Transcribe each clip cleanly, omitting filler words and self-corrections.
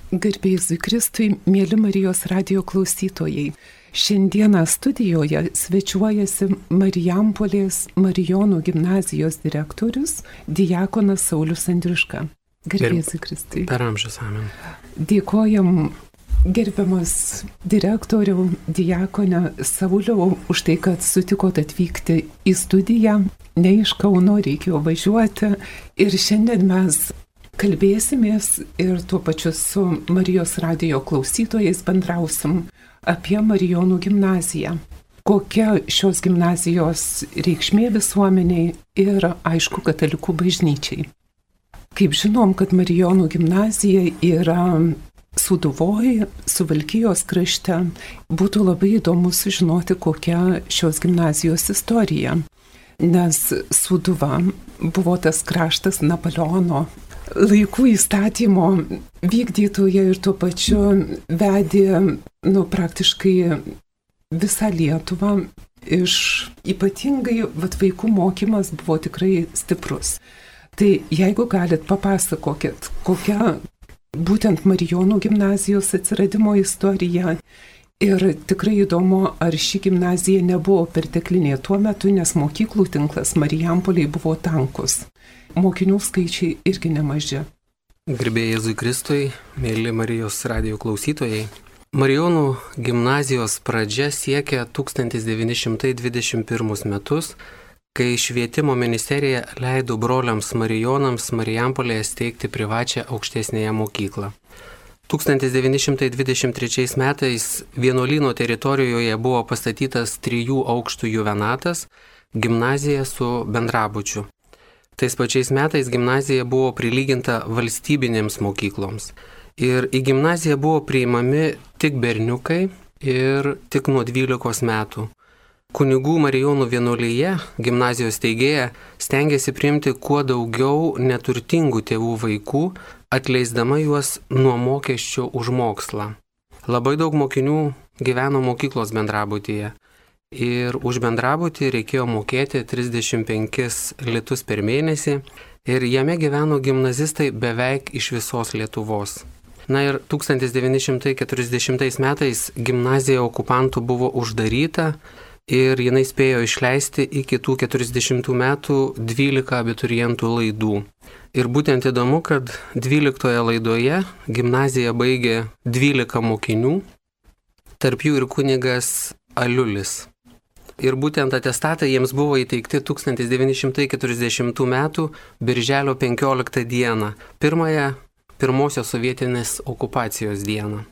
Garbėjai Kristui, mėly Marijos radijo klausytojai. Šiandieną studijoje svečiuojasi Marijampolės Marijonų gimnazijos direktorius diakonas Saulius Andriuška. Garbėjai Kristui. Per amžius amen. Dėkojam gerbiamas direktoriau, diakone Sauliau, už tai, kad sutikot atvykti į studiją. Ne iš Kauno reikėjo važiuoti ir šiandien mes kalbėsimės ir tuo pačiu su Marijos radijo klausytojais bendrausim apie Marijonų gimnaziją. Kokia šios gimnazijos reikšmė visuomeniai ir, aišku, katalikų bažnyčiai. Kaip žinom, kad Marijonų gimnazija yra Sūduvoj, Suvalkijos krašte, būtų labai įdomu sužinoti, kokia šios gimnazijos istorija. Nes Sūduva buvo tas kraštas Napoleono laikų įstatymo vykdytoje ir tuo pačiu vedė praktiškai visą Lietuvą. Ypatingai vaikų mokymas buvo tikrai stiprus. Tai jeigu galit, papasakokit, kokia būtent Marijonų gimnazijos atsiradimo istorija. Ir tikrai įdomu, ar ši gimnazija nebuvo perteklinė tuo metu, nes mokyklų tinklas Marijampoliai buvo tankus. Mokinių skaičiai irgi nemaži. Garbėjai Jėzui Kristui, mėly Marijos radijo klausytojai. Marijonų gimnazijos pradžia siekia 1921 metus, kai švietimo ministerija leido broliams Marijonams Marijampolėje steigti privačią aukštesnėje mokyklą. 1923 metais vienuolyno teritorijoje buvo pastatytas 3 aukštų juvenatas, gimnazija su bendrabučiu. Tais pačiais metais gimnazija buvo prilyginta valstybinėms mokykloms. Ir į gimnaziją buvo priimami tik berniukai ir tik nuo 12 metų. Kunigų Marijonų vienuolyje, gimnazijos steigėja, stengiasi priimti kuo daugiau neturtingų tėvų vaikų, atleisdama juos nuo mokesčio už mokslą. Labai daug mokinių gyveno mokyklos bendrabutyje. Ir už bendrabutį reikėjo mokėti 35 litus per mėnesį ir jame gyveno gimnazistai beveik iš visos Lietuvos. Na ir 1940 metais gimnazija okupantų buvo uždaryta ir jinai spėjo išleisti iki tų 40 metų 12 abiturientų laidų. Ir būtent įdomu, kad 12 laidoje gimnaziją baigė 12 mokinių, tarp jų ir kunigas Aliulis. Ir būtent atestatai jiems buvo įteikti 1940 metų birželio 15 dieną, pirmosios sovietinės okupacijos dieną.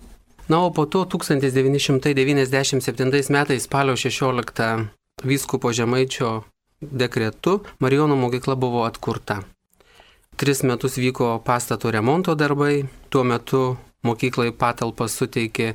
Na, o po to 1997 metais spalio 16 vyskupo Žemaičio dekretu Marijonų mokykla buvo atkurta. 3 metus vyko pastato remonto darbai, tuo metu mokyklai patalpas suteikė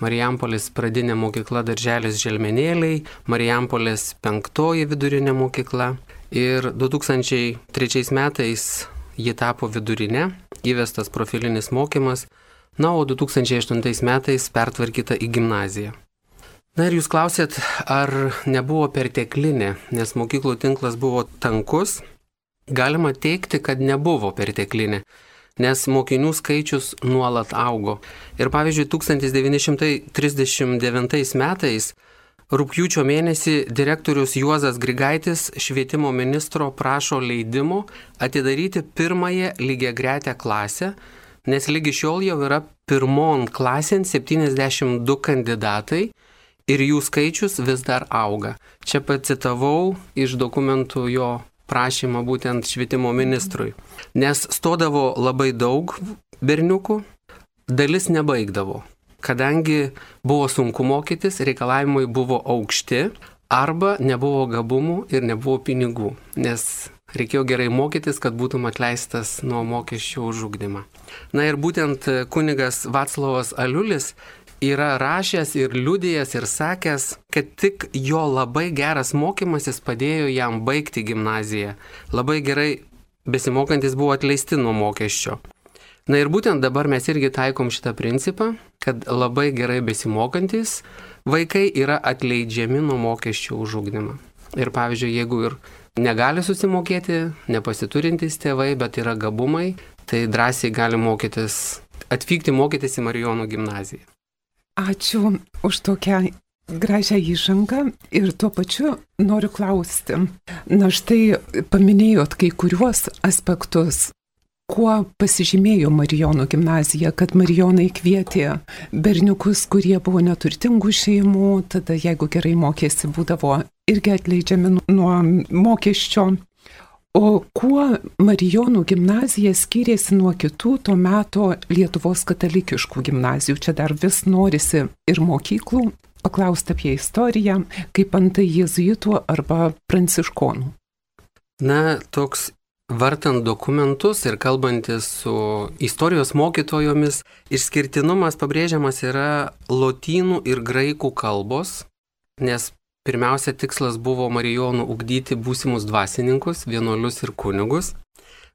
Marijampolės pradinė mokykla Darželis Želmenėliai, Marijampolės 5 vidurinė mokykla ir 2003 metais ji tapo vidurinė, įvestas profilinis mokymas, na, o 2008 metais pertvarkyta į gimnaziją. Na ir jūs klausėt, ar nebuvo perteklinė, nes mokyklų tinklas buvo tankus. Galima teigti, kad nebuvo perteklinė, nes mokinių skaičius nuolat augo. Ir pavyzdžiui, 1939 metais, rugpjūčio mėnesį, direktorius Juozas Grigaitis švietimo ministro prašo leidimo atidaryti pirmąją lygiagretę klasę, nes lygi šiol jau yra pirmon klasėn 72 kandidatai ir jų skaičius vis dar auga. Čia pacitavau iš dokumentų jo prašymą būtent švietimo ministrui. Nes stodavo labai daug berniukų, dalis nebaigdavo. Kadangi buvo sunku mokytis, reikalavimai buvo aukšti, arba nebuvo gabumų ir nebuvo pinigų, nes reikėjo gerai mokytis, kad būtum atleistas nuo mokesčių už ugdymą. Na ir būtent kunigas Vaclovas Aliulis yra rašęs ir liudijęs ir sakęs, kad tik jo labai geras mokymasis padėjo jam baigti gimnaziją. Labai gerai besimokantis buvo atleisti nuo mokesčio. Na ir būtent dabar mes irgi taikom šitą principą, kad labai gerai besimokantis vaikai yra atleidžiami nuo mokesčių už ugdymą. Ir pavyzdžiui, jeigu ir negali susimokėti, nepasiturintys tėvai, bet yra gabumai, tai drąsiai gali mokytis atvykti mokytis į Marijonų gimnaziją. Ačiū už tokią gražią įžangą ir tuo pačiu noriu klausti. Na štai paminėjot kai kuriuos aspektus, kuo pasižymėjo Marijonų gimnazija, kad Marijonai kvietė berniukus, kurie buvo neturtingų šeimų, tada jeigu gerai mokėsi, būdavo irgi atleidžiami nuo mokesčio. O kuo Marijonų gimnazija skyrėsi nuo kitų to meto Lietuvos katalikiškų gimnazijų? Čia dar vis norisi ir mokyklų paklausti apie istoriją, kaip antai jėzuitų arba pranciškonų. Na, toks vartant dokumentus ir kalbantis su istorijos mokytojomis, išskirtinumas pabrėžiamas yra lotynų ir graikų kalbos, nes pirmiausia tikslas buvo Marijonų ugdyti būsimus dvasininkus, vienuolius ir kunigus,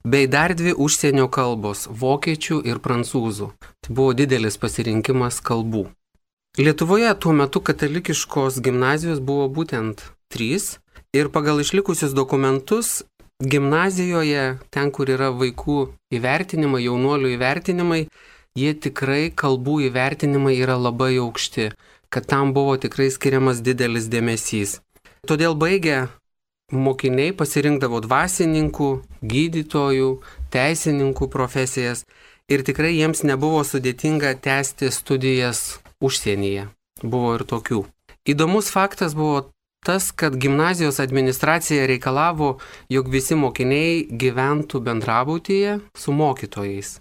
bei dar 2 užsienio kalbos - vokiečių ir prancūzų. Tai buvo didelis pasirinkimas kalbų. Lietuvoje tuo metu katalikiškos gimnazijos buvo būtent 3 ir pagal išlikusius dokumentus gimnazijoje, ten kur yra vaikų įvertinimai, jaunuolių įvertinimai, jie tikrai kalbų įvertinimai yra labai aukšti, kad tam buvo tikrai skiriamas didelis dėmesys. Todėl baigę mokiniai pasirinkdavo dvasininkų, gydytojų, teisininkų profesijas ir tikrai jiems nebuvo sudėtinga tęsti studijas užsienyje. Buvo ir tokių. Įdomus faktas buvo tas, kad gimnazijos administracija reikalavo, jog visi mokiniai gyventų bendrabutyje su mokytojais.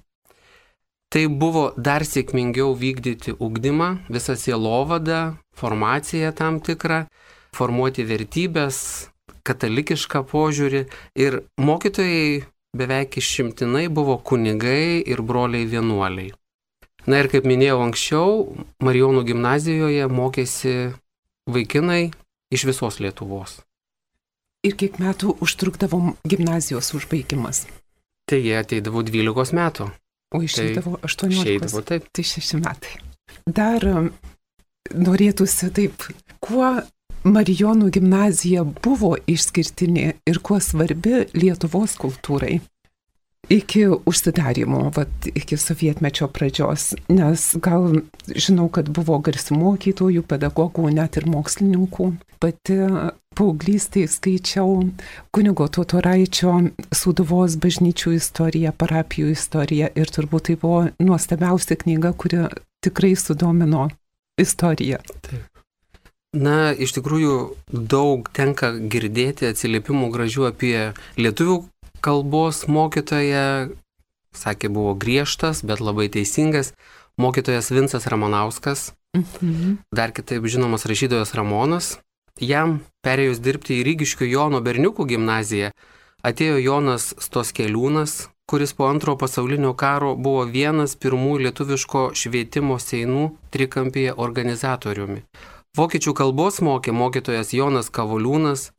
Tai buvo dar sėkmingiau vykdyti ugdymą, visą sielovadą, formaciją tam tikrą, formuoti vertybės, katalikišką požiūrį ir mokytojai beveik išimtinai buvo kunigai ir broliai vienuoliai. Na ir kaip minėjau anksčiau, Marijonų gimnazijoje mokėsi vaikinai iš visos Lietuvos. Ir kiek metų užtrukdavo gimnazijos užbaigimas? Tai jie ateidavo 12 metų. O išeidavo 18. Išeidavo, taip. Tai 6 metai. Dar norėtųsi taip, kuo Marijonų gimnazija buvo išskirtinė ir kuo svarbi Lietuvos kultūrai iki užsidarimo, iki sovietmečio pradžios, nes gal žinau, kad buvo garsių mokytojų, pedagogų, net ir mokslininkų. Pati paauglystėje skaičiau kunigo Totoraičio Sūduvos bažnyčių istoriją, parapijų istoriją ir turbūt tai buvo nuostabiausia knyga, kuri tikrai sudomino istoriją. Taip. Na, iš tikrųjų daug tenka girdėti atsiliepimų gražių apie lietuvių kalbos mokytoją, sakė, buvo griežtas, bet labai teisingas, mokytojas Vincas Ramanauskas, dar kitaip žinomas rašytojas Ramonas. Jam perėjus dirbti į Rygiškių Jono berniukų gimnaziją, atėjo Jonas Stoskeliūnas, kuris po Antrojo pasaulinio karo buvo vienas pirmųjų lietuviško švietimo seinų trikampyje organizatoriumi. Vokiečių kalbos mokė mokytojas Jonas Kavoliūnas,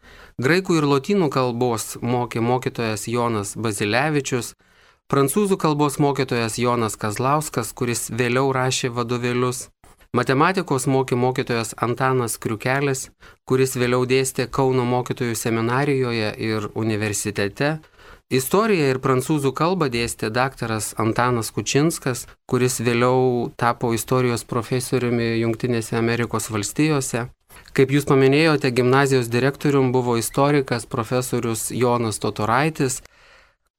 graikų ir lotynų kalbos mokė mokytojas Jonas Bazilevičius, prancūzų kalbos mokytojas Jonas Kazlauskas, kuris vėliau rašė vadovėlius, matematikos mokė mokytojas Antanas Kriukelis, kuris vėliau dėstė Kauno mokytojų seminarijoje ir universitete, istoriją ir prancūzų kalbą dėstė daktaras Antanas Kučinskas, kuris vėliau tapo istorijos profesoriumi Jungtinėse Amerikos valstijose. Kaip jūs paminėjote, gimnazijos direktorium buvo istorikas profesorius Jonas Totoraitis,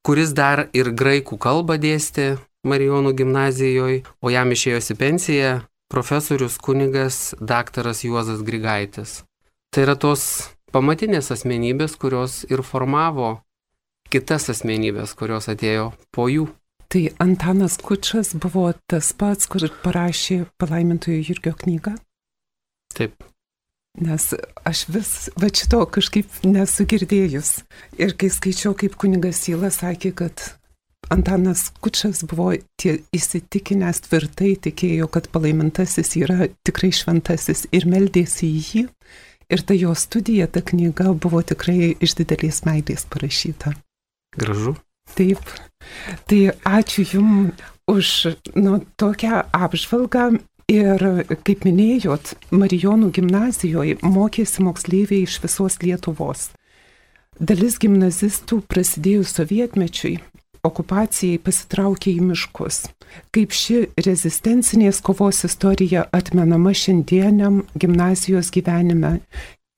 kuris dar ir graikų kalbą dėstė Marijonų gimnazijoje, o jam išėjosi pensiją profesorius kunigas daktaras Juozas Grigaitis. Tai yra tos pamatinės asmenybės, kurios ir formavo kitas asmenybės, kurios atėjo po jų. Tai Antanas Kučas buvo tas pats, kur parašė Palaimintojo Jurgio knygą? Taip. Nes aš vis šito kažkaip nesu girdėjus. Ir kai skaičiau, kaip kunigas Syla sakė, kad Antanas Kučas buvo įsitikinęs, tvirtai tikėjo, kad palaimintasis yra tikrai šventasis ir meldėsi į jį. Ir ta jo studija, ta knyga buvo tikrai iš didelės meilės parašyta. Gražu. Taip. Tai ačiū Jums už tokią apžvalgą. Ir kaip minėjot, Marijonų gimnazijoje mokėsi moksleiviai iš visos Lietuvos. Dalis gimnazistų prasidėjus sovietmečiui okupacijai pasitraukė į miškus. Kaip ši rezistencinės kovos istorija atmenama šiandieniam gimnazijos gyvenime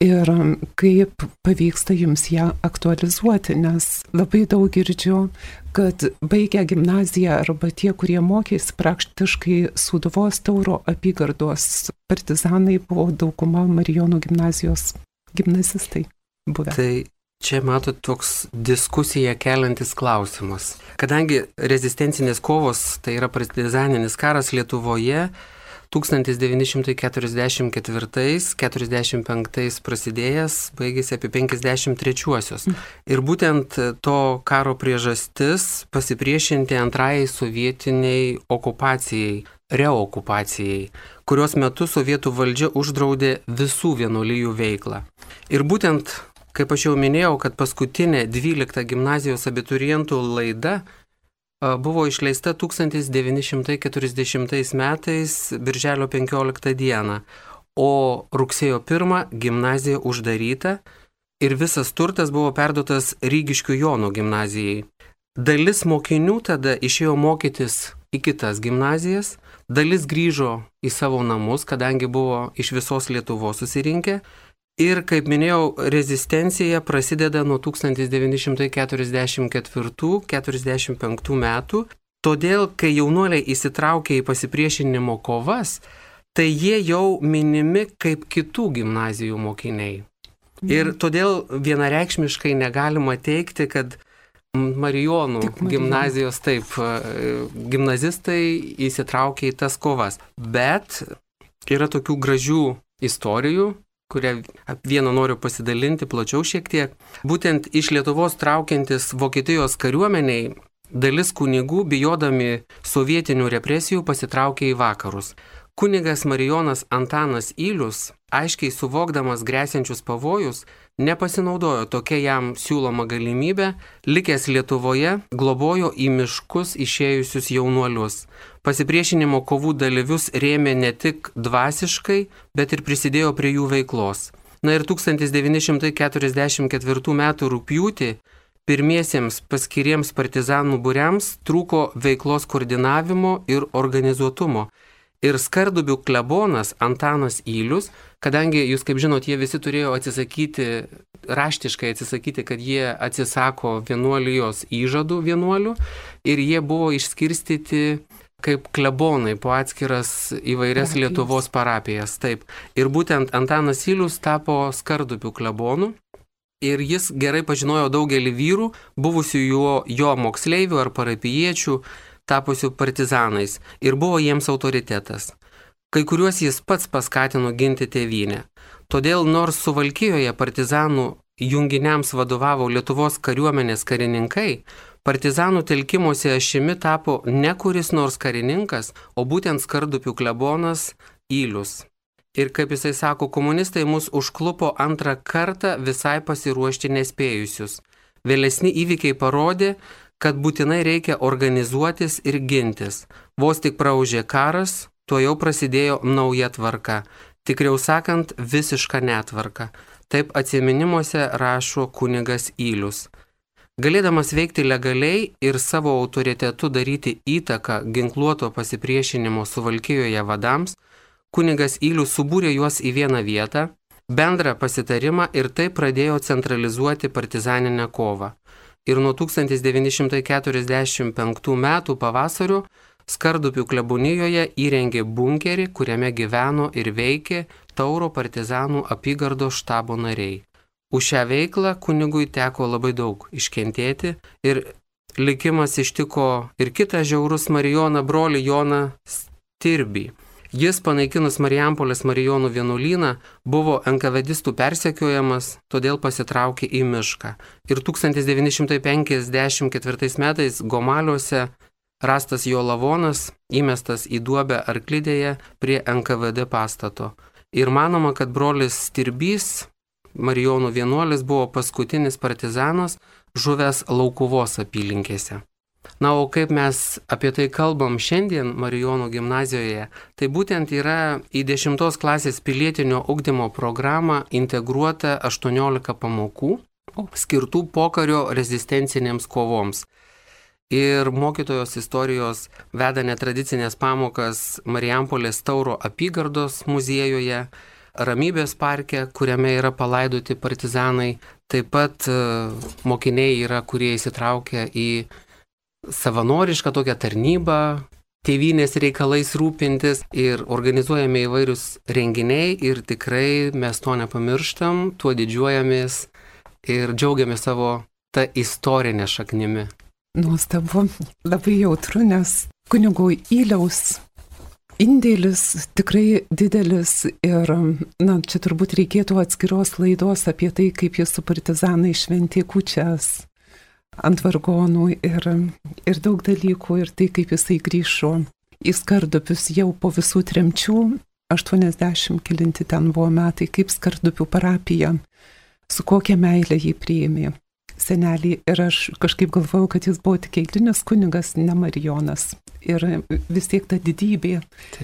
ir kaip pavyksta jums ją aktualizuoti, nes labai daug girdžiu, kad baigę gimnaziją arba tie, kurie mokėsi praktiškai Sūduvos Tauro apygardos partizanai, buvo dauguma Marijonų gimnazijos gimnazistai buvę. Tai čia matot toks diskusiją keliantis klausimas. Kadangi rezistencinės kovos, tai yra partizaninis karas Lietuvoje, 1944-45 prasidėjęs, baigėsi apie 53-uosius. Ir būtent to karo priežastis pasipriešinti antrajai sovietiniai okupacijai, reokupacijai, kurios metu sovietų valdžia uždraudė visų vienuolijų veiklą. Ir būtent, kaip aš jau minėjau, kad paskutinė 12 gimnazijos abiturientų laida buvo išleista 1940 metais, birželio 15 dieną, o rugsėjo 1 gimnazija uždaryta ir visas turtas buvo perduotas Rygiškių Jono gimnazijai. Dalis mokinių tada išėjo mokytis į kitas gimnazijas, dalis grįžo į savo namus, kadangi buvo iš visos Lietuvos susirinkę. Ir, kaip minėjau, rezistencija prasideda nuo 1944-45 metų, todėl, kai jaunuoliai įsitraukia į pasipriešinimo kovas, tai jie jau minimi kaip kitų gimnazijų mokiniai. Ir todėl vienareikšmiškai negalima teikti, kad Marijonų gimnazijos gimnazistai įsitraukia į tas kovas. Bet yra tokių gražių istorijų, kurią vieną noriu pasidalinti plačiau šiek tiek. Būtent iš Lietuvos traukiantis Vokietijos kariuomeniai, dalis kunigų, bijodami sovietinių represijų, pasitraukė į vakarus. Kunigas Marijonas Antanas Ylius, aiškiai suvokdamas grėsiančius pavojus, nepasinaudojo tokia jam siūloma galimybė, likęs Lietuvoje, globojo į miškus išėjusius jaunuolius. Pasipriešinimo kovų dalyvius rėmė ne tik dvasiškai, bet ir prisidėjo prie jų veiklos. Na ir 1944 m. rugpjūtį pirmiesiems paskiriems partizanų būriams trūko veiklos koordinavimo ir organizuotumo. Ir Skardubių klebonas Antanas Ylius, kadangi jūs, kaip žinot, jie visi turėjo raštiškai atsisakyti, kad jie atsisako vienuolijos įžadų vienuolių ir jie buvo išskirstyti kaip klebonai po atskiras įvairias Lietuvos parapijas. Taip. Ir būtent Antanas Ylius tapo Skardubių klebonu. Ir jis gerai pažinojo daugelį vyrų, buvusių jo moksleivių ar parapijiečių, tapusių partizanais, ir buvo jiems autoritetas. Kai kuriuos jis pats paskatino ginti tėvynę. Todėl nors Suvalkijoje partizanų junginiams vadovavo Lietuvos kariuomenės karininkai, partizanų telkimosi ašimi tapo ne kuris nors karininkas, o būtent Skardubių klebonas Ylius. Ir kaip jisai sako, komunistai mus užklupo antrą kartą visai pasiruošti nespėjusius. Vėlesni įvykiai parodė, kad būtinai reikia organizuotis ir gintis. Vos tik praūžė karas, tuo jau prasidėjo nauja tvarka. Tikriau sakant, visiška netvarka. Taip atsiminimuose rašo kunigas Ylius. Galėdamas veikti legaliai ir savo autoritetu daryti įtaką ginkluoto pasipriešinimo Suvalkijoje vadams, kunigas Ylius subūrė juos į vieną vietą, bendrą pasitarimą ir taip pradėjo centralizuoti partizaninę kovą. Ir nuo 1945 metų pavasario Skardubių klebonijoje įrengė bunkerį, kuriame gyveno ir veikė Tauro partizanų apygardos štabo nariai. Už šią veiklą kunigui teko labai daug iškentėti ir likimas ištiko ir kitą žiaurus Marijoną brolį Joną Stirbį. Jis, panaikinus Marijampolės Marijonų vienuolyną, buvo NKVDistų persekiojamas, todėl pasitraukė į mišką. Ir 1954 metais Gomaliuose rastas jo lavonas, įmestas į duobę Arklidėje prie NKVD pastato. Ir manoma, kad brolis Stirbys, Marijonų vienuolis, buvo paskutinis partizanas žuvęs Laukuvos apylinkėse. Na, o kaip mes apie tai kalbam šiandien Marijonų gimnazijoje, tai būtent yra į 10 klasės pilietinio ugdymo programą integruota 18 pamokų skirtų pokario rezistencinėms kovoms. ir mokytojos istorijos veda netradicinės pamokas Marijampolės Tauro apygardos muziejuje, Ramybės parke, kuriame yra palaidoti partizanai. Taip pat mokiniai yra, kurie įsitraukia į savanorišką tokią tarnybą, tėvynės reikalais rūpintis ir organizuojame įvairius renginiai ir tikrai mes to nepamirštam, tuo didžiuojamės ir džiaugiamės savo tą istorinę šaknimi. Nuostabu, labai jautru, nes kunigo Yliaus indėlis tikrai didelis ir, čia turbūt reikėtų atskiros laidos apie tai, kaip jis su partizanai šventė kūčias ant vargonų ir daug dalykų, ir tai, kaip jisai grįžo į Skardupius jau po visų tremčių, 80 kelinti ten buvo metai, kaip Skardupių parapija, su kokia meilė jį priėmė senelį. Ir aš kažkaip galvojau, kad jis buvo tik eilinis kunigas, ne Marijonas. Ir vis tiek ta didybė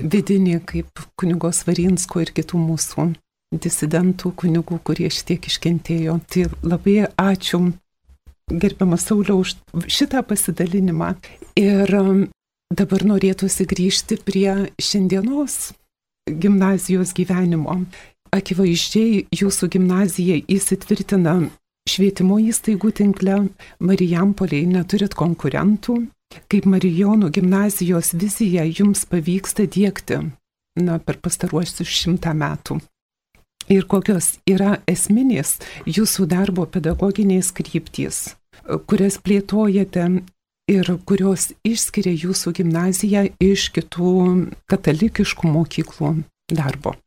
vidinė, kaip kunigo Svarinsko ir kitų mūsų disidentų kunigų, kurie šitiek iškentėjo. Tai labai ačiū, gerbiamas Sauliau, už šitą pasidalinimą. Ir dabar norėtųsi grįžti prie šiandienos gimnazijos gyvenimo. Akivaizdžiai jūsų gimnazija įsitvirtina švietimo įstaigų tinkle, Marijampolėje neturit konkurentų. Kaip Marijonų gimnazijos viziją jums pavyksta diegti per pastaruosius 100 metų? Ir kokios yra esminės jūsų darbo pedagoginės kryptys, kurias plėtojate ir kurios išskiria jūsų gimnaziją iš kitų katalikiškų mokyklų darbo?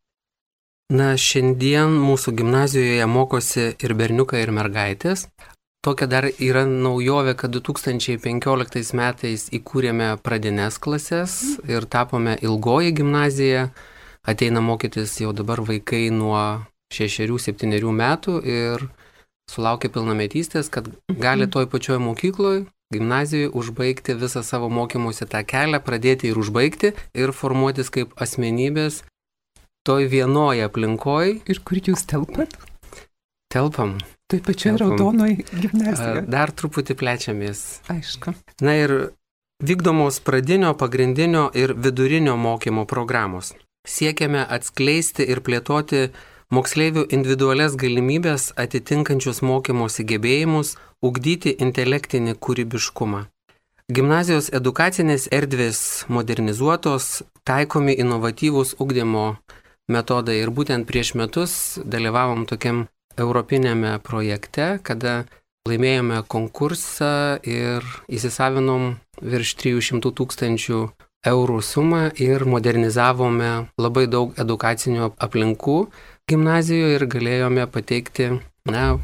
Šiandien mūsų gimnazijoje mokosi ir berniukai, ir mergaitės. Tokia dar yra naujovė, kad 2015 metais įkūrėme pradines klases ir tapome ilgoji gimnazija. Ateina mokytis jau dabar vaikai nuo 6-7 metų ir sulaukia pilnametystės, kad gali toj pačioj mokykloje, gimnazijoje užbaigti visą savo mokymosi tą kelią, pradėti ir užbaigti ir formuotis kaip asmenybės toj vienoje aplinkoj. Ir kur jūs telpat? Telpam. Tai pačioje raudonoj gimnazijoje. Dar truputį plečiamės. Aišku. Ir vykdomos pradinio, pagrindinio ir vidurinio mokymo programos. Siekiame atskleisti ir plėtoti moksleivių individualias galimybės atitinkančius mokymosi gebėjimus, ugdyti intelektinį kūrybiškumą. Gimnazijos edukacinės erdvės modernizuotos, taikomi inovatyvūs ugdymo metodai ir būtent prieš metus dalyvavom tokiam europinėme projekte, kada laimėjome konkursą ir įsisavinom virš 300 000 eurų sumą ir modernizavome labai daug edukacinių aplinkų gimnazijoje ir galėjome pateikti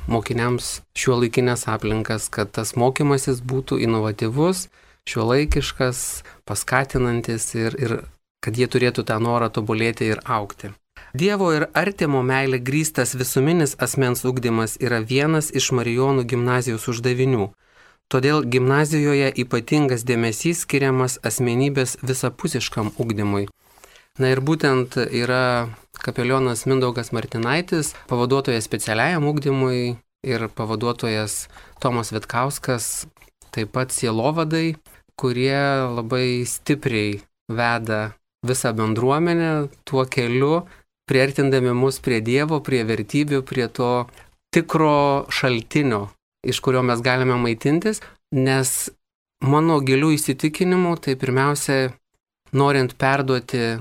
mokiniams šiuolaikinės aplinkas, kad tas mokymasis būtų inovatyvus, šiuolaikiškas, paskatinantis ir kad jie turėtų tą norą tobulėti ir augti. Dievo ir artimo meilė grįstas visuminis asmens ugdymas yra vienas iš Marijonų gimnazijos uždavinių. Todėl gimnazijoje ypatingas dėmesys skiriamas asmenybės visapusiškam ugdymui. Ir būtent yra kapelionas Mindaugas Martinaitis, pavaduotojas specialiajam ugdymui ir pavaduotojas Tomas Vitkauskas, taip pat sielovadai, kurie labai stipriai veda visą bendruomenę tuo keliu, priartindami mus prie Dievo, prie vertybių, prie to tikro šaltinio, iš kurio mes galime maitintis, nes mano gilių įsitikinimų, tai pirmiausia, norint perduoti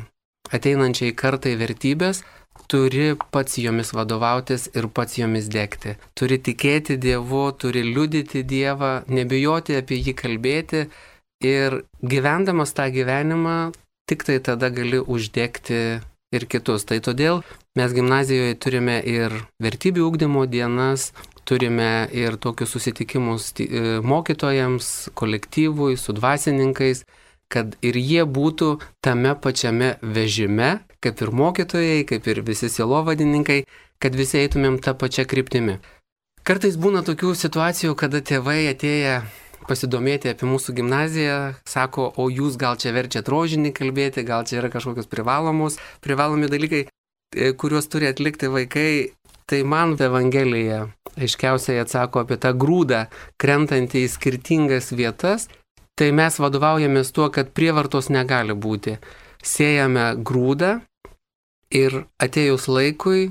ateinančiai kartai vertybės, turi pats jomis vadovautis ir pats jomis degti. Turi tikėti Dievu, turi liudyti Dievą, nebijoti apie jį kalbėti ir gyvendamas tą gyvenimą, tik tai tada gali uždegti ir kitus. Tai todėl mes gimnazijoje turime ir vertybių ugdymo dienas, turime ir tokius susitikimus mokytojams, kolektyvui, su dvasininkais, kad ir jie būtų tame pačiame vežime, kaip ir mokytojai, kaip ir visi sielovadininkai, kad visi eitumėm tą pačią kryptimį. Kartais būna tokių situacijų, kada tėvai atėję pasidomėti apie mūsų gimnaziją, sako, o jūs gal čia verčiat rožinį kalbėti, gal čia yra kažkokios privalomi dalykai, kuriuos turi atlikti vaikai. Tai man Evangelija aiškiausiai atsako apie tą grūdą, krentantį į skirtingas vietas tai mes vadovaujamės tuo, kad prievartos negali būti. Sėjame grūdą ir atėjus laikui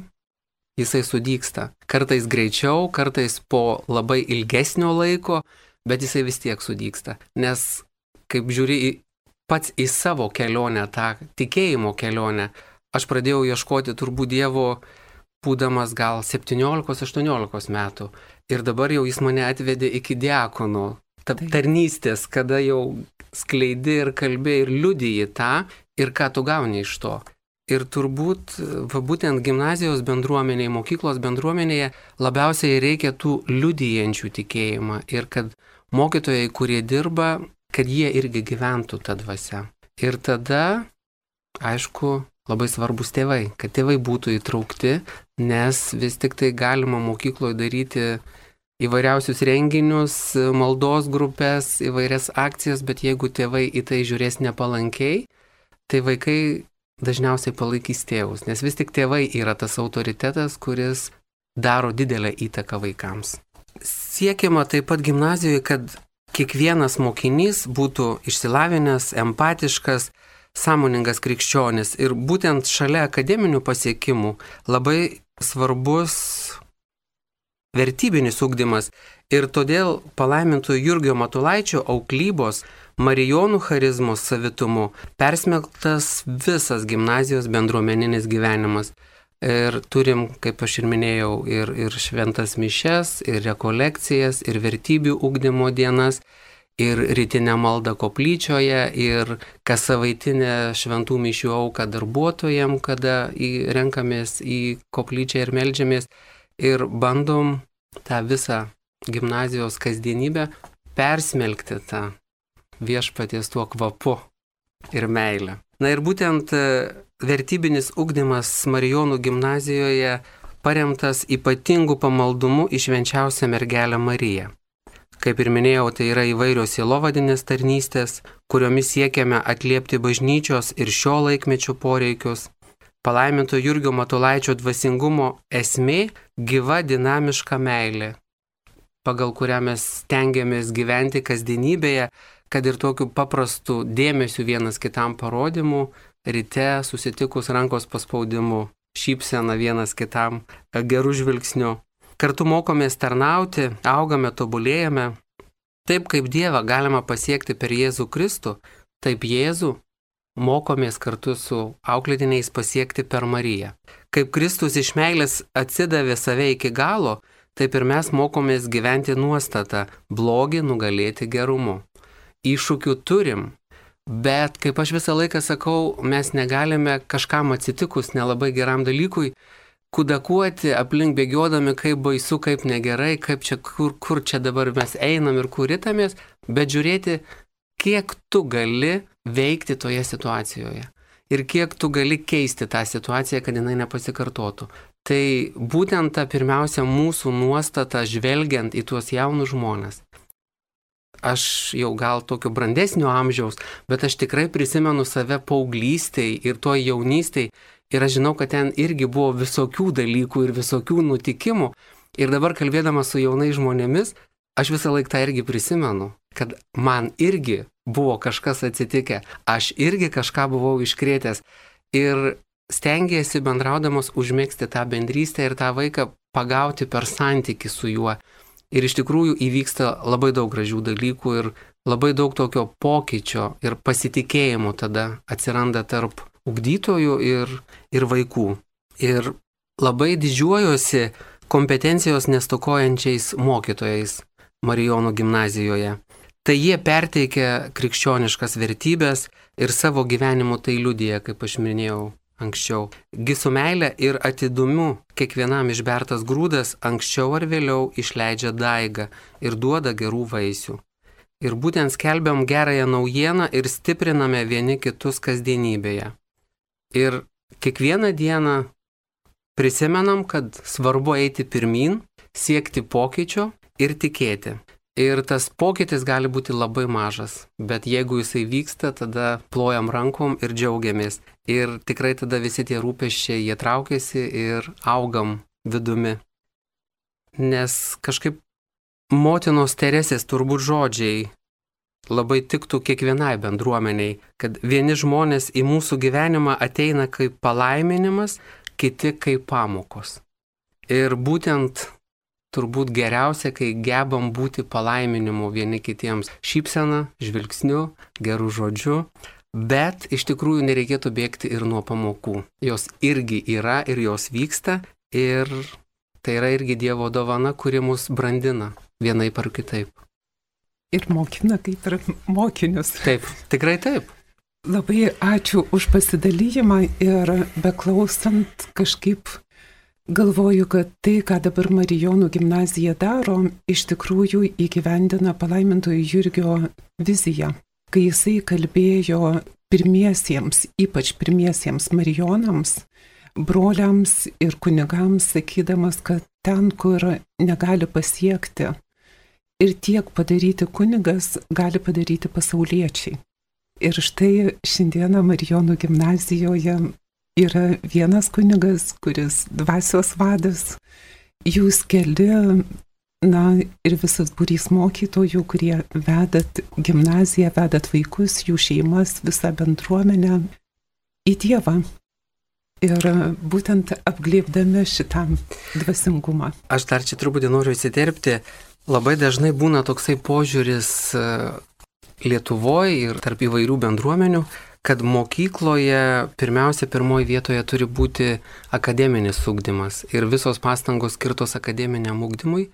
jisai sudygsta. Kartais greičiau, kartais po labai ilgesnio laiko, bet jisai vis tiek sudygsta. Nes kaip žiūri pats į savo kelionę, tą tikėjimo kelionę, aš pradėjau ieškoti turbūt Dievo, būdamas gal 17-18 metų. Ir dabar jau jis mane atvedė iki diakono tarnystės, kada jau skleidi ir kalbė ir liudiji tą, ir ką tu gauni iš to. Ir turbūt, būtent gimnazijos bendruomenėje, mokyklos bendruomenėje labiausiai reikia tų liudijančių tikėjimą ir kad mokytojai, kurie dirba, kad jie irgi gyventų tą dvasią. Ir tada, aišku, labai svarbus tėvai, kad tėvai būtų įtraukti, nes vis tik tai galima mokykloje daryti įvairiausius renginius, maldos grupės, įvairias akcijas, bet jeigu tėvai į tai žiūrės nepalankiai, tai vaikai dažniausiai palaikys tėvus, nes vis tik tėvai yra tas autoritetas, kuris daro didelę įtaką vaikams. Siekiama taip pat gimnazijoje, kad kiekvienas mokinys būtų išsilavinęs, empatiškas, sąmoningas krikščionis. Ir būtent šalia akademinių pasiekimų labai svarbus vertybinis ugdymas. Ir todėl palaimintojo Jurgio Matulaičio auklybos Marijonų charizmos savitumu persmelktas visas gimnazijos bendruomeninis gyvenimas. Ir turim, kaip aš ir minėjau, ir šventas mišes, ir rekolekcijas, ir vertybių ugdymo dienas, ir rytinę maldą koplyčioje, ir kas savaitinę šventų mišių auką darbuotojams, kada renkamės į koplyčią ir meldžiamės, ir bandom tą visą gimnazijos kasdienybę persmelkti tą viešpaties tuo kvapu ir meilę. Na ir būtent vertybinis ugdymas Marijonų gimnazijoje paremtas ypatingų pamaldumų į švenčiausią mergelę Mariją. Kaip ir minėjau, tai yra įvairios sielovadinės tarnystės, kuriomis siekiame atliepti bažnyčios ir šio laikmečio poreikius. Palaiminto Jurgio Matulaičio dvasingumo esmė - gyva dinamiška meilė, pagal kurią mes stengiamės gyventi kasdienybėje, kad ir tokiu paprastu dėmesiu vienas kitam parodymu, ryte susitikus rankos paspaudimu, šypsena vienas kitam, gerų žvilgsnių. Kartu mokomės tarnauti, augame, tobulėjame. Taip kaip Dievą galima pasiekti per Jėzų Kristų, taip Jėzų mokomės kartu su auklėtiniais pasiekti per Mariją. Kaip Kristus iš meilės atsidavė save iki galo, taip ir mes mokomės gyventi nuostatą blogį nugalėti gerumu. Iššūkių turim, bet kaip aš visą laiką sakau, mes negalime kažkam atsitikus nelabai geram dalykui kudakuoti aplink bėgiodami, kaip baisu, kaip negerai, kaip čia, kur čia dabar mes einam ir kur ritamės, bet žiūrėti, kiek tu gali veikti toje situacijoje ir kiek tu gali keisti tą situaciją, kad jinai nepasikartotų. Tai būtent ta pirmiausia mūsų nuostata žvelgiant į tuos jaunus žmones. Aš jau gal tokio brandesnio amžiaus, bet aš tikrai prisimenu save paauglystėj ir toj jaunystėj ir aš žinau, kad ten irgi buvo visokių dalykų ir visokių nutikimų. Ir dabar kalbėdamas su jaunais žmonėmis, aš visą laiką tą irgi prisimenu, kad man irgi buvo kažkas atsitikę, aš irgi kažką buvau iškrėtęs ir stengiasi bendraudamas užmėgsti tą bendrystę ir tą vaiką pagauti per santykį su juo. Ir iš tikrųjų įvyksta labai daug gražių dalykų ir labai daug tokio pokyčio ir pasitikėjimo tada atsiranda tarp ugdytojų ir vaikų. Ir labai didžiuojuosi kompetencijos nestokojančiais mokytojais Marijonų gimnazijoje. Tai jie perteikia krikščioniškas vertybės ir savo gyvenimu tai liudija, kaip aš minėjau anksčiau. Gi su meile ir atidumu kiekvienam išbertas grūdas anksčiau ar vėliau išleidžia daigą ir duoda gerų vaisių. Ir būtent skelbiam gerąją naujieną ir stipriname vieni kitus kasdienybėje. Ir kiekvieną dieną prisimenam, kad svarbu eiti pirmyn, siekti pokyčio ir tikėti. Ir tas pokytis gali būti labai mažas, bet jeigu jisai vyksta, tada plojam rankom ir džiaugiamės. Ir tikrai tada visi tie rūpesčiai, jie traukiasi ir augam vidumi. Nes kažkaip motinos Teresės turbūt žodžiai labai tiktų kiekvienai bendruomeniai, kad vieni žmonės į mūsų gyvenimą ateina kaip palaiminimas, kiti kaip pamokos. Ir būtent turbūt geriausia, kai gebam būti palaiminimu vieni kitiems šypsena, žvilgsniu, gerų žodžiu, bet iš tikrųjų nereikėtų bėgti ir nuo pamokų. Jos irgi yra ir jos vyksta ir tai yra irgi Dievo dovana, kuri mus brandina vienaip ar kitaip. Ir mokina kaip ir mokinius. Taip, tikrai taip. Labai ačiū už pasidalijimą ir beklausant kažkaip galvoju, kad tai, ką dabar Marijonų gimnazija daro, iš tikrųjų įgyvendina palaimintojo Jurgio viziją. Kai jisai kalbėjo pirmiesiems, ypač pirmiesiems marijonams, broliams ir kunigams, sakydamas, kad ten, kur negali pasiekti ir tiek padaryti kunigas, gali padaryti pasauliečiai. Ir štai šiandieną Marijonų gimnazijoje yra vienas kunigas, kuris dvasios vadas, jūs keli, ir visas būrys mokytojų, kurie vedat gimnaziją, vedat vaikus, jų šeimas, visą bendruomenę į Dievą. Ir būtent apglėbdami šitam dvasingumą. Aš dar čia truputį noriu įsiterpti. Labai dažnai būna toksai požiūris Lietuvoje ir tarp įvairių bendruomenių, kad mokykloje pirmiausia pirmoji vietoje turi būti akademinis ugdymas ir visos pastangos skirtos akademiniam ugdymui.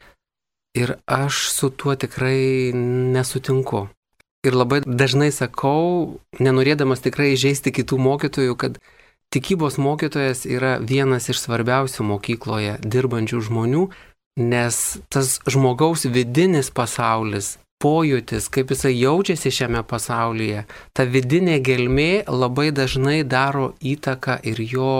Ir aš su tuo tikrai nesutinku. Ir labai dažnai sakau, nenorėdamas tikrai įžeisti kitų mokytojų, kad tikybos mokytojas yra vienas iš svarbiausių mokykloje dirbančių žmonių, nes tas žmogaus vidinis pasaulis, pojūtis, kaip jisai jaučiasi šiame pasaulyje, ta vidinė gelmė labai dažnai daro įtaką ir jo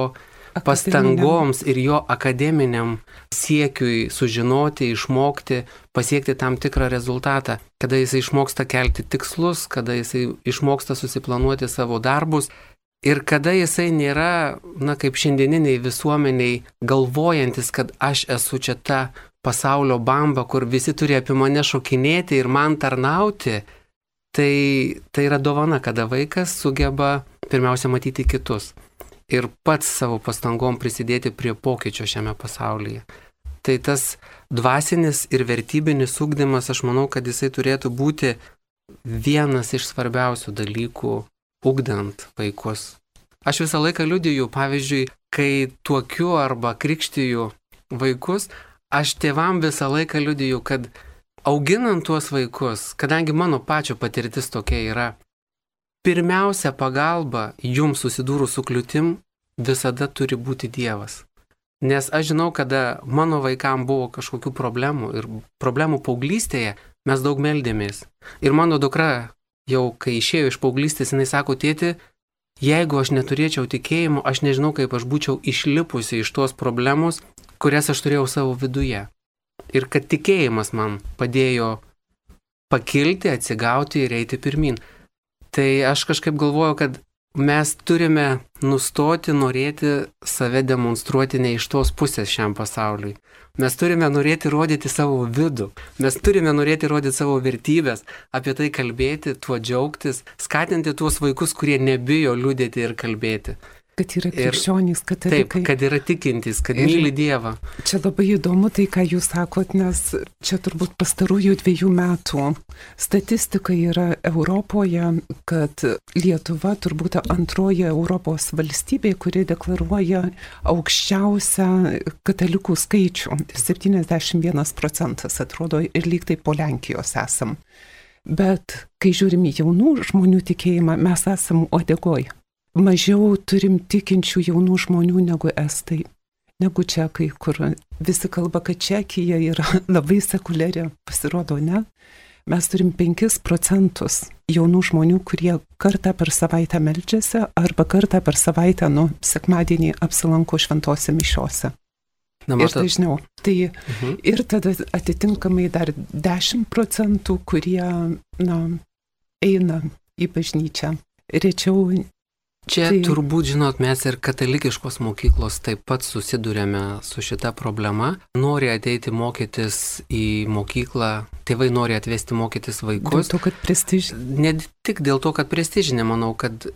pastangoms, ir jo akademiniam siekiui sužinoti, išmokti, pasiekti tam tikrą rezultatą. Kada jisai išmoksta kelti tikslus, kada jisai išmoksta susiplanuoti savo darbus ir kada jisai nėra, kaip šiandieniniai visuomeniai, galvojantis, kad aš esu čia ta pasaulio bamba, kur visi turi apie mane šokinėti ir man tarnauti, tai yra dovana, kada vaikas sugeba pirmiausia matyti kitus ir pats savo pastangom prisidėti prie pokyčio šiame pasaulyje. Tai tas dvasinis ir vertybinis ugdymas, aš manau, kad jisai turėtų būti vienas iš svarbiausių dalykų ugdant vaikus. Aš visą laiką liudiju, pavyzdžiui, kai tuokiu arba krikštiju vaikus, aš tėvam visą laiką liudiju, kad auginant tuos vaikus, kadangi mano pačio patirtis tokia yra, pirmiausia pagalba jums susidūrus su kliūtim visada turi būti Dievas. Nes aš žinau, kada mano vaikam buvo kažkokių problemų ir problemų paauglystėje, mes daug meldėmės. Ir mano dukra jau, kai išėjo iš paauglystės, jinai sako, tėti, jeigu aš neturėčiau tikėjimo, aš nežinau, kaip aš būčiau išlipusi iš tos problemos, kurias aš turėjau savo viduje. Ir kad tikėjimas man padėjo pakilti, atsigauti ir eiti pirmin. Tai aš kažkaip galvoju, kad mes turime nustoti norėti save demonstruoti ne iš tos pusės šiam pasauliui. Mes turime norėti rodyti savo vidų. Mes turime norėti rodyti savo vertybės, apie tai kalbėti, tuo džiaugtis, skatinti tuos vaikus, kurie nebijo liūdėti ir kalbėti. Kad yra krikščionys, katalikai. Taip, kad yra tikintys, kad myli Dievą. Čia labai įdomu tai, ką jūs sakot, nes čia turbūt pastarųjų 2 metų statistika yra Europoje, kad Lietuva turbūt antroji Europos valstybė, kuri deklaruoja aukščiausią katalikų skaičių. 71% atrodo ir lyg tai po Lenkijos esam. Bet kai žiūrim į jaunų žmonių tikėjimą, mes esam uodegoj. Mažiau turim tikinčių jaunų žmonių negu estai, negu čekai, kur visi kalba, kad Čekija yra labai sekuliari, pasirodo, ne? Mes turim 5% jaunų žmonių, kurie kartą per savaitę meldžiasi arba kartą per savaitę, sekmadienį apsilanko šventose mišiose. Ir dažniau. Tai ir tada atitinkamai dar 10%, kurie, eina į bažnyčią. Rečiau Čia turbūt, žinot, mes ir katalikiškos mokyklos taip pat susidurėme su šita problema. Nori ateiti mokytis į mokyklą, tėvai nori atvesti mokytis vaikus. Dėl to, kad prestižinė. Ne tik dėl to, kad prestižinė, manau, kad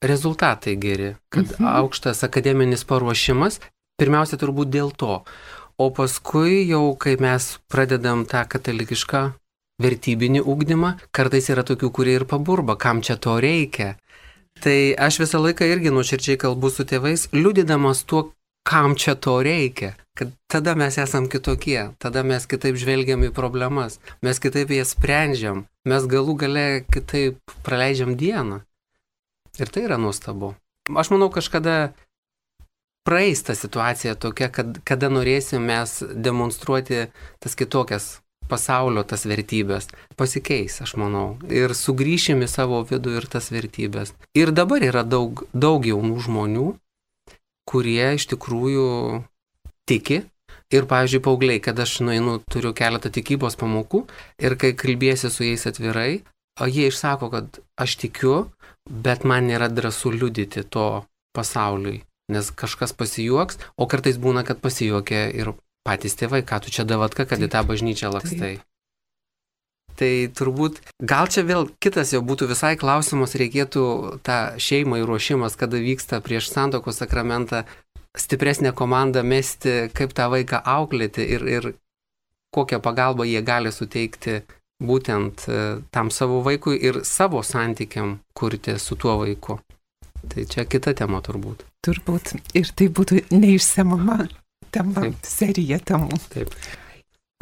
rezultatai geri, kad aukštas akademinis paruošimas, pirmiausia turbūt dėl to. O paskui jau, kai mes pradedam tą katalikišką vertybinį ugdymą, kartais yra tokių, kurie ir paburba, kam čia to reikia. Tai aš visą laiką irgi nuoširdžiai kalbu su tėvais, liudydamas tuo, kam čia to reikia. Kad tada mes esam kitokie, tada mes kitaip žvelgiam į problemas, mes kitaip jas sprendžiam, mes galų gale kitaip praleidžiam dieną. Ir tai yra nuostabu. Aš manau, kažkada praeis ta situacija tokia, kada norėsim mes demonstruoti tas kitokias pasaulio tas vertybės. Pasikeis, aš manau. Ir sugrįšim į savo vidų ir tas vertybės. Ir dabar yra daug jaunų žmonių, kurie iš tikrųjų tiki. Ir, pavyzdžiui, paaugliai, kad aš turiu keletą tikybos pamokų ir kai kalbėsiu su jais atvirai, jie išsako, kad aš tikiu, bet man nėra drąsu liudyti to pasauliui, nes kažkas pasijuoks, o kartais būna, kad pasijuokia ir patys tėvai, ką tu čia davatka, kad į tą bažnyčią lakstai. Tai turbūt, gal čia vėl kitas jau būtų visai klausimas, reikėtų tą šeimą įruošimas, kada vyksta prieš santuokos sakramentą, stipresnę komandą mesti, kaip tą vaiką auklėti ir kokią pagalbą jie gali suteikti būtent tam savo vaikui ir savo santykiam kurti su tuo vaiku. Tai čia kita tema turbūt. Turbūt. Ir tai būtų neišsemama tema, serija temų. Taip.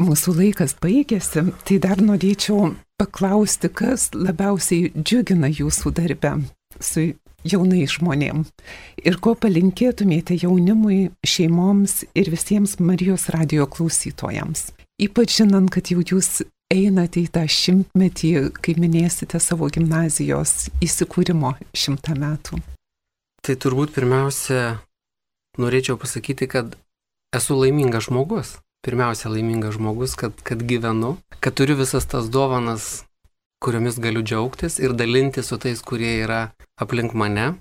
Mūsų laikas baigėsi, tai dar norėčiau paklausti, kas labiausiai džiugina jūsų darbę su jaunais žmonėm ir ko palinkėtumėte jaunimui, šeimoms ir visiems Marijos radijo klausytojams. Ypač žinant, kad jau jūs einate į tą 100-metį, kai minėsite savo gimnazijos įsikūrimo 100 metų. Tai turbūt pirmiausia norėčiau pasakyti, kad esu laimingas žmogus. Pirmiausia, laimingas žmogus, kad gyvenu, kad turiu visas tas dovanas, kuriomis galiu džiaugtis ir dalinti su tais, kurie yra aplink mane.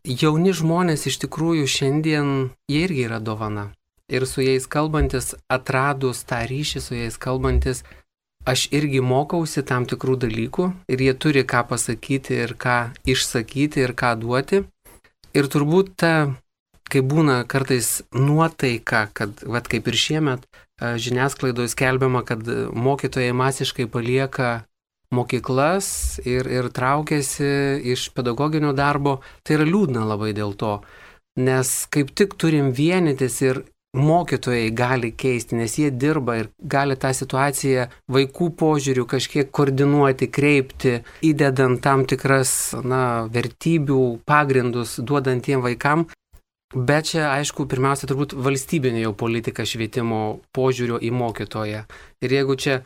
Jauni žmonės iš tikrųjų šiandien, jie irgi yra dovana. Ir su jais kalbantis, atradus tą ryšį su jais kalbantis, aš irgi mokausi tam tikrų dalykų ir jie turi ką pasakyti ir ką išsakyti ir ką duoti. Ir turbūt ta, kai būna kartais nuotaika, kad, kaip ir šiemet, žiniasklaidoje skelbiama, kad mokytojai masiškai palieka mokyklas ir traukiasi iš pedagoginio darbo, tai yra liūdna labai dėl to, nes kaip tik turim vienytis ir mokytojai gali keisti, nes jie dirba ir gali tą situaciją vaikų požiūrių kažkiek koordinuoti, kreipti, įdedant tam tikras vertybių pagrindus, duodant tiem vaikam. Bet čia, aišku, pirmiausia, turbūt valstybinė jau politika švietimo požiūrio į mokytoją. Ir jeigu čia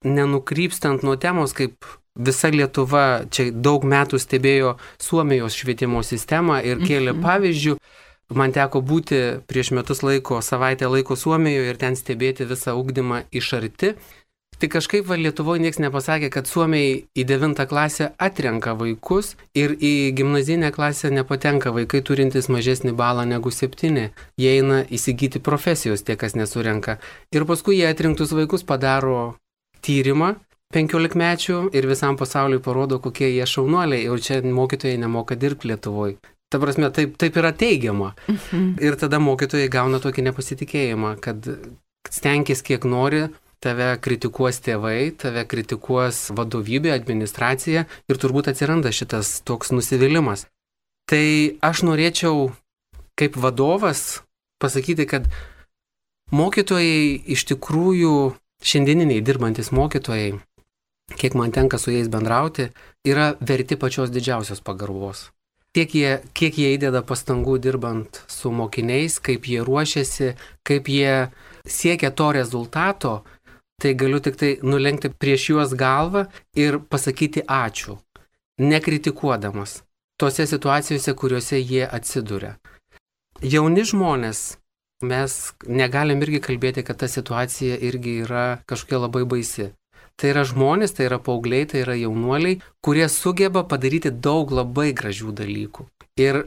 nenukrypstant nuo temos, kaip visa Lietuva čia daug metų stebėjo Suomijos švietimo sistemą ir kėlė pavyzdžių, man teko būti prieš metus savaitę laiko Suomijoje ir ten stebėti visą ugdymą iš arti. Tai kažkaip Lietuvoje niekas nepasakė, kad Suomiai į 9 klasę atrenka vaikus ir į gimnazinę klasę nepatenka vaikai turintys mažesnį balą negu 7. Jie eina įsigyti profesijos, tie, kas nesurenka. Ir paskui jie atrinktus vaikus padaro tyrimą 15-mečių ir visam pasauliui parodo, kokie jie šaunuoliai. Ir čia mokytojai nemoka dirbti Lietuvoje. Ta prasme, taip yra teigiama. Ir tada mokytojai gauna tokį nepasitikėjimą, kad stenkis kiek nori, tave kritikuos tėvai, tave kritikuos vadovybė, administracija ir turbūt atsiranda šitas toks nusivylimas. Tai aš norėčiau kaip vadovas pasakyti, kad mokytojai iš tikrųjų, šiandieniniai dirbantis mokytojai, kiek man tenka su jais bendrauti, yra verti pačios didžiausios pagarbos. Kiek jie įdeda pastangų dirbant su mokiniais, kaip jie ruošiasi, kaip jie siekia to rezultato, tai galiu tik tai nulenkti prieš juos galvą ir pasakyti ačiū, nekritikuodamas tose situacijose, kuriuose jie atsiduria. Jauni žmonės, mes negalim irgi kalbėti, kad ta situacija irgi yra kažkokia labai baisi. Tai yra žmonės, tai yra paaugliai, tai yra jaunuoliai, kurie sugeba padaryti daug labai gražių dalykų. Ir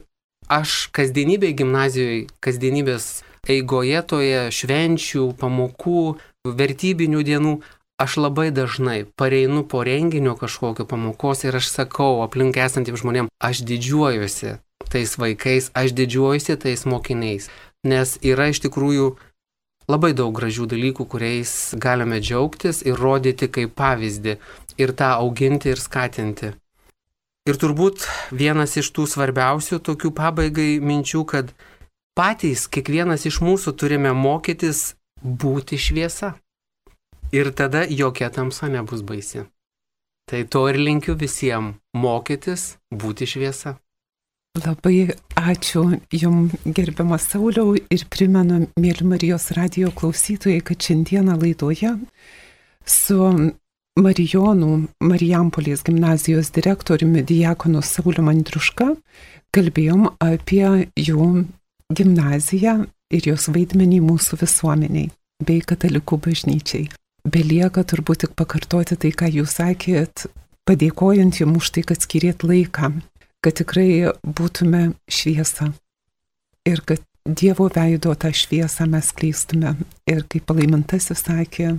aš kasdienybėje gimnazijoje, kasdienybės eigoje toje švenčių, pamokų, vertybinių dienų, aš labai dažnai pareinu po renginio kažkokio pamokos ir aš sakau aplink esantiems žmonėms, aš didžiuojuosi tais vaikais, aš didžiuojuosi tais mokiniais, nes yra iš tikrųjų labai daug gražių dalykų, kuriais galime džiaugtis ir rodyti kaip pavyzdį ir tą auginti ir skatinti. Ir turbūt vienas iš tų svarbiausių tokių pabaigai minčių, kad patys kiekvienas iš mūsų turime mokytis būti šviesa. Ir tada jokia tamsa nebus baisi. Tai to ir linkiu visiems mokytis būti šviesa. Labai ačiū Jums, gerbiamas Sauliau, ir primenu, mėly Marijos radijo klausytojai, kad šiandieną laidoje su Marijampolės gimnazijos direktoriumi diakonu Sauliumi Andriuška kalbėjom apie jų gimnaziją ir jos vaidmenį mūsų visuomeniai bei katalikų bažnyčiai. Belieka turbūt tik pakartoti tai, ką jūs sakėt, padėkojant jums už tai, kad skirėt laiką, kad tikrai būtume šviesa ir kad Dievo veido tą šviesą mes kleistume. Ir kaip palaimintasis sakė,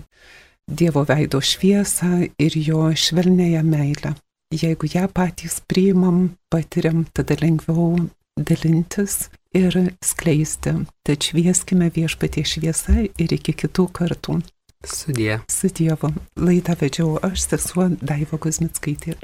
Dievo veido šviesą ir jo švelnėją meilę. Jeigu ją patys priimam, patiriam, tada lengviau dalintis ir skleisti. Tad švieskime Viešpatie šviesa ir iki kitų kartų. Sudie. Su Dievu. Laidą vedžiau aš, sesuo Daiva Kuzmickaitė.